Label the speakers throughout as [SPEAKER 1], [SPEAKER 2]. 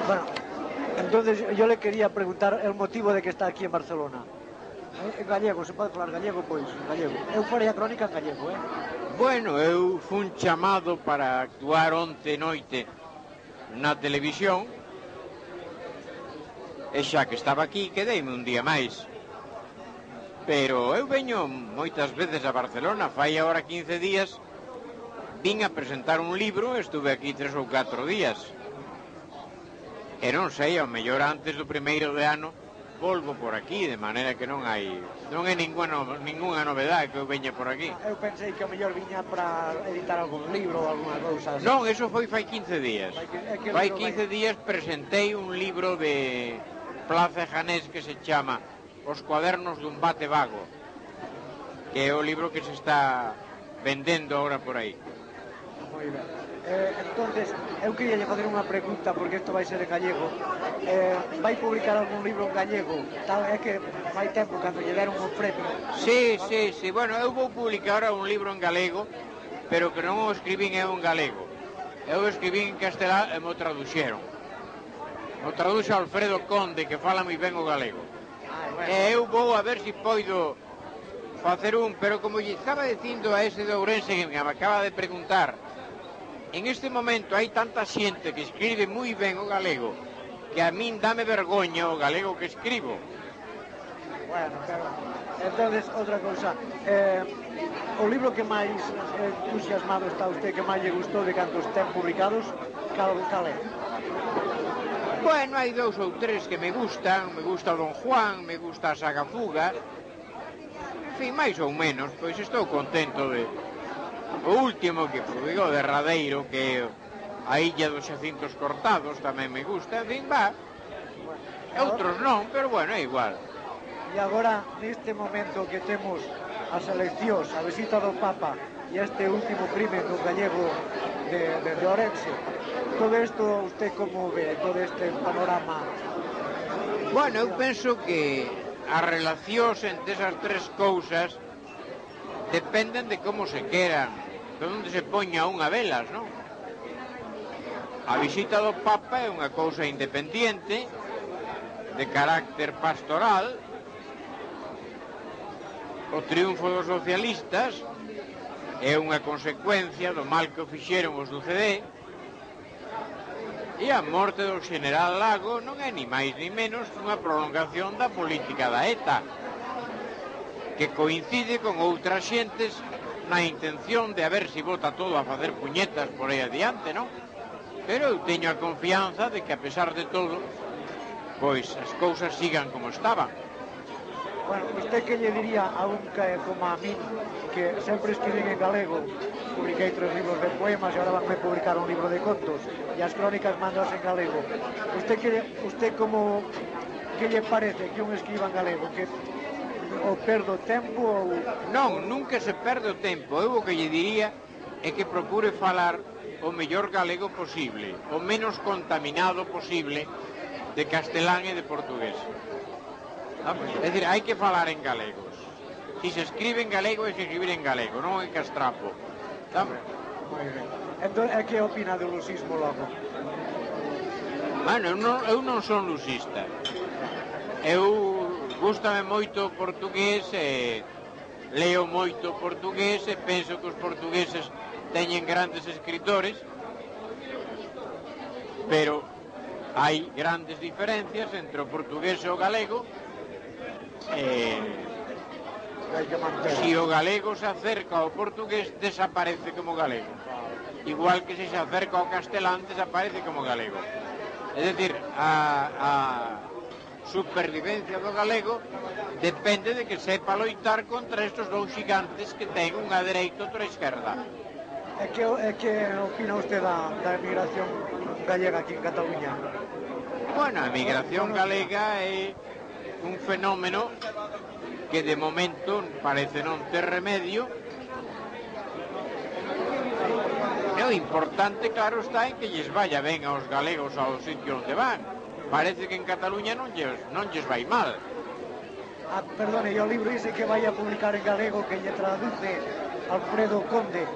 [SPEAKER 1] Bueno, entonces yo le quería preguntar el motivo de que está aquí en Barcelona. En gallego, se pode falar gallego, pois, en gallego. Eu farei a crónica en gallego,
[SPEAKER 2] Bueno, eu fun chamado para actuar onte noite na televisión e xa que estaba aquí quedeime un día máis. Pero eu veño moitas veces a Barcelona, fai agora 15 días, vin a presentar un libro, estuve aquí 3 ou 4 días. E non sei, ao mellor antes do primeiro de ano volvo por aquí, de maneira que non é ninguna novedade que eu veña por aquí.
[SPEAKER 1] Eu pensei que ao mellor viña para editar algún libro ou alguna cousa así.
[SPEAKER 2] Non, eso foi fai 15 días. Fai 15 días presentei un libro de Plaza Janés que se chama Os cuadernos dun bate vago, que é o libro que se está vendendo agora por aí.
[SPEAKER 1] Moi ben. Entonces, eu queria facer unha pregunta, porque isto vai ser en gallego. Vai publicar algún libro en gallego? Tal é que fai tempo cando lle deron o premio.
[SPEAKER 2] Sí. Bueno, eu vou publicar ahora un libro en galego, pero que non o escribín eu en galego. Eu escribín en castelán e mo traduxeron. O traduxo Alfredo Conde, que fala moi ben o galego. E eu vou a ver se poido facer un, pero como lle estaba dicindo a ese de Ourense que me acaba de preguntar, en este momento hai tanta xente que escribe moi ben o galego que a min dame vergoña o galego que escribo.
[SPEAKER 1] Bueno, pero entonces outra cousa, o libro que máis entusiasmado está usted, que máis lle gustou de cantos ten publicados, cal é?
[SPEAKER 2] Bueno, hai 2 ou 3 que me gusta o Don Juan, me gusta a Saga Fuga, en fin, máis ou menos, pois estou contento de... O último que publicou de Radeiro, que é A Illa dos Xacintos Cortados, tamén me gusta, en fin, va. Outros non, pero bueno, é igual.
[SPEAKER 1] E agora, neste momento que temos as eleccións, a visita do Papa e este último crimen do gallego de Ourense, todo isto usted como ve, todo este panorama?
[SPEAKER 2] Bueno, eu penso que as relacións entre esas 3 cousas dependen de como se queran, de onde se poña unha velas, non? A visita do Papa é unha cousa independiente, de carácter pastoral. O triunfo dos socialistas é unha consecuencia do mal que o fixeron os do CD, e a morte do general Lago non é ni máis ni menos unha prolongación da política da ETA, que coincide con outras xentes na intención de a ver se bota todo a facer puñetas por aí adiante, non? Pero eu teño a confianza de que a pesar de todo, pois as cousas sigan como estaban.
[SPEAKER 1] Bueno, usted que lle diría a un que como a min, que sempre escribín en galego, publiquei 3 libros de poemas e agora vanme publicar un libro de contos e as crónicas mandas en galego. Usted como que lle parece que un escriba en galego, que o perdo tempo ou...
[SPEAKER 2] Non, nunca se perde o tempo. Eu o que lle diría é que procure falar o mellor galego posible, o menos contaminado posible de castelán e de portugués. É dicir, hai que falar en galegos. Si se escribe en galego, hai que escribir en galego, non en castrapo.
[SPEAKER 1] Moi ben. Entón, que opina do lusismo logo?
[SPEAKER 2] Bueno, eu non son lusista. Eu gústame moito o portugués e leo moito o portugués e penso que os portugueses teñen grandes escritores, pero hai grandes diferencias entre o portugués e o galego. Si o galego se acerca ao portugués, desaparece como galego, igual que se acerca ao castelán, desaparece como galego. É dicir, a supervivencia do galego depende de que sepa loitar contra estes 2 xigantes que ten unha dereita e outra esquerda.
[SPEAKER 1] E que opina usted da emigración gallega aquí en Cataluña?
[SPEAKER 2] Bueno, a emigración galega é un fenómeno que de momento parece non ter remedio. E o importante, claro, está en que lles vaya ben aos galegos aos sitios onde van. Parece que en Cataluña non lles vai mal.
[SPEAKER 1] Perdone, e o libro ese que vai a publicar en galego, que lle traduce Alfredo Conde,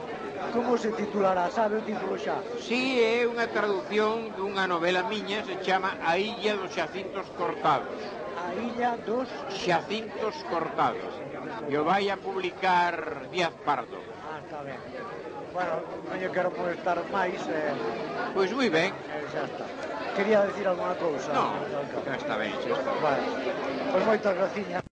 [SPEAKER 1] Como se titulará? Sabe o título xa?
[SPEAKER 2] Si, é unha traducción dunha novela miña, se chama A Illa dos Xacintos Cortados.
[SPEAKER 1] A Illa dos
[SPEAKER 2] Xacintos Cortados. E o vai a publicar Díaz Pardo.
[SPEAKER 1] Ah, está ben. Bueno, non lle quero molestar máis.
[SPEAKER 2] Pois moi ben.
[SPEAKER 1] Xa está. Quería decir alguna cousa?
[SPEAKER 2] Non, xa está ben, xa está ben.
[SPEAKER 1] Vale. Pois moitas graciñas.